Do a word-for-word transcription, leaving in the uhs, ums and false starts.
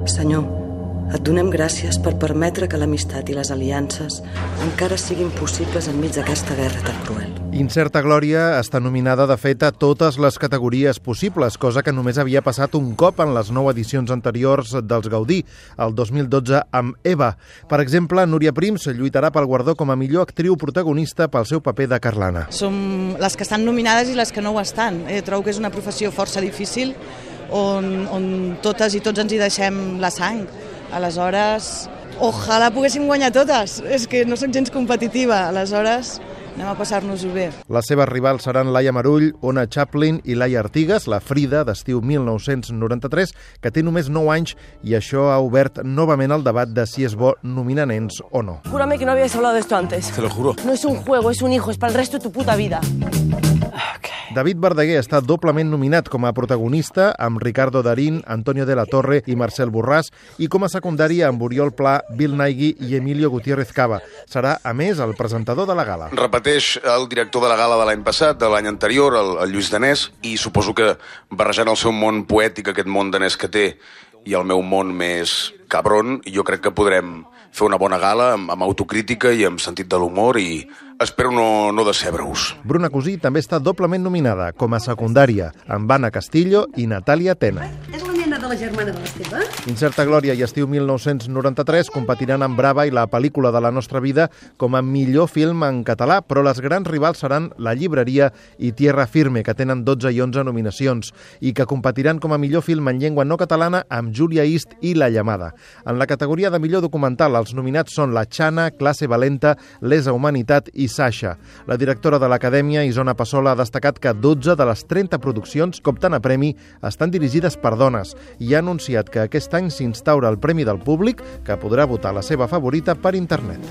Senyor, et donem gràcies per permetre que l'amistat i les aliances encara siguin possibles enmig d'aquesta guerra tan cruel. Incerta Glòria està nominada, de fet, a totes les categories possibles, cosa que només havia passat un cop en les nou edicions anteriors dels Gaudí, el dos mil dotze amb Eva. Per exemple, Núria Prims lluitarà pel guardó com a millor actriu protagonista pel seu paper de Carlana. Som les que estan nominades i les que no ho estan. Eh, trobo que és una professió força difícil on, on totes i tots ens hi deixem la sang. Aleshores, ojalà poguéssim guanyar totes. És que no soc gens competitiva. Aleshores, anem a passar-nos-ho bé. Les seves rivals seran Laia Marull, Ona Chaplin i Laia Artigas, la Frida d'estiu mil nou-cents noranta-tres, que té només nou anys, i això ha obert novament el debat de si és bo nominar nens o no. Júrame que no habíais hablado de esto antes. Te lo juro. No es un juego, es un hijo, es para el resto de tu puta vida. David Verdaguer està doblement nominat com a protagonista amb Ricardo Darín, Antonio de la Torre i Marcel Borràs, i com a secundària amb Oriol Pla, Bill Nighy i Emilio Gutiérrez Cava. Serà, a més, el presentador de la gala. Repeteix el director de la gala de l'any passat, de l'any anterior, el, el Lluís Danés, i suposo que barrejant el seu món poètic, aquest món danès que té, i el meu món més cabron, jo crec que podrem fer una bona gala amb, amb autocrítica i amb sentit de l'humor, i espero no, no decebre-us. Bruna Cosí també està doblement nominada com a secundària, amb Anna Castillo i Natàlia Tena. És la nena de la germana de l'Esteve? Incerta Glòria i estiu mil nou-cents noranta-tres competiran amb Brava i la pel·lícula de la nostra vida com a millor film en català, però les grans rivals seran La llibreria i Tierra Firme, que tenen dotze i onze nominacions, i que competiran com a millor film en llengua no catalana amb Júlia Ist i La llamada. En la categoria de millor documental, els nominats són La Xana, Classe Valenta, Lesa Humanitat i Sasha. La directora de l'Acadèmia, Isona Passola, ha destacat que dotze de les trenta produccions que opten a premi estan dirigides per dones i ha anunciat que aquest any s'instaura el Premi del Públic, que podrà votar la seva favorita per internet.